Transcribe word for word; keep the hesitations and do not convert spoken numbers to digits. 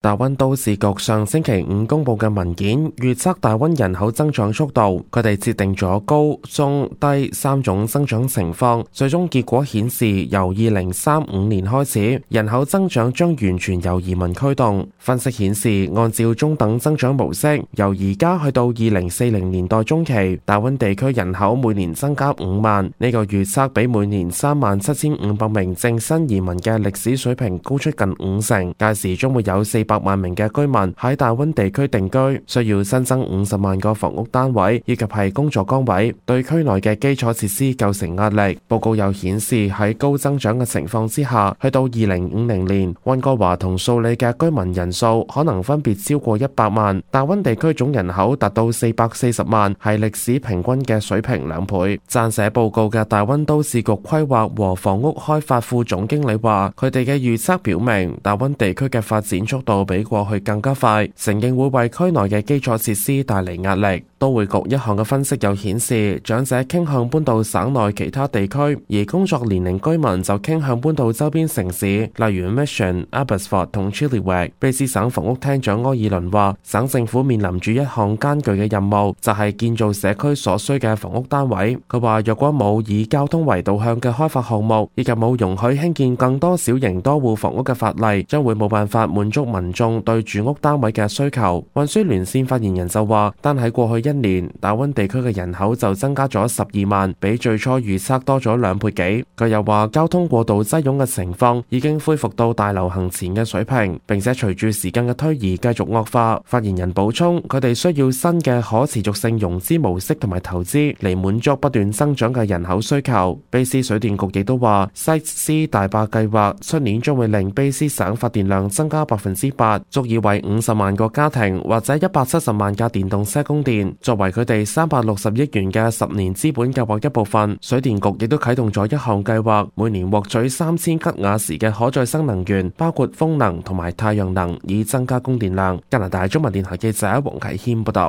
大溫都市局上星期五公布嘅文件預測大溫人口增長速度，佢哋設定咗高、中、低三種增長情況，最終結果顯示由二零三五年開始，人口增長將完全由移民驅動。分析顯示，按照中等增長模式，由而家去到二零四零年代中期，大溫地區人口每年增加五萬，呢、這個預測比每年三萬七千五百名正新移民嘅歷史水平高出近五成。屆時將會有四百萬名嘅居民喺大溫地區定居，需要新增五十萬個房屋單位，以及係工作崗位，對區內嘅基礎設施構成壓力。報告又顯示喺高增長嘅情況之下，去到二零五零年，溫哥華同素里嘅居民人數可能分別超過一百萬，大溫地區總人口達到四百四十萬，係歷史平均嘅水平兩倍。撰寫報告嘅大溫都市局規劃和房屋開發副總經理話，佢哋嘅預測表明，大溫地區嘅發展速度比過去更加快，承認會為區內嘅基礎設施帶嚟壓力。都會局一項嘅分析又顯示，長者傾向搬到省內其他地區，而工作年齡居民就傾向搬到周邊城市，例如 Mission、Abbotsford 同 Chilliwack。卑詩省房屋廳長柯爾倫話，省政府面臨住一項艱巨嘅任務，就係建造社區所需嘅房屋單位。佢話，若果冇以交通為導向嘅開發項目，以及冇容許興建更多小型多戶房屋嘅法例，將會冇辦法滿足民眾對住屋單位嘅需求。運輸聯線發言人就話，單喺過去一年，大溫地區嘅人口就增加咗十二萬，比最初預測多咗兩倍幾。佢又話，交通過度擠擁嘅情況已經恢復到大流行前嘅水平，並且隨住時間嘅推移繼續惡化。發言人補充，佢哋需要新嘅可持續性融資模式同埋投資嚟滿足不斷增長嘅人口需求。卑詩水電局亦都話，西斯大壩計劃出年將會令卑詩省發電量增加百分之八，足以為五十萬個家庭或者一百七十萬架電動車供電。作為佢哋三百六十億元嘅十年資本計劃一部分，水電局亦都啟動咗一項計劃，每年獲取三千吉瓦時嘅可再生能源，包括風能同埋太陽能，以增加供電量。加拿大中文電台記者黃啟謙報道。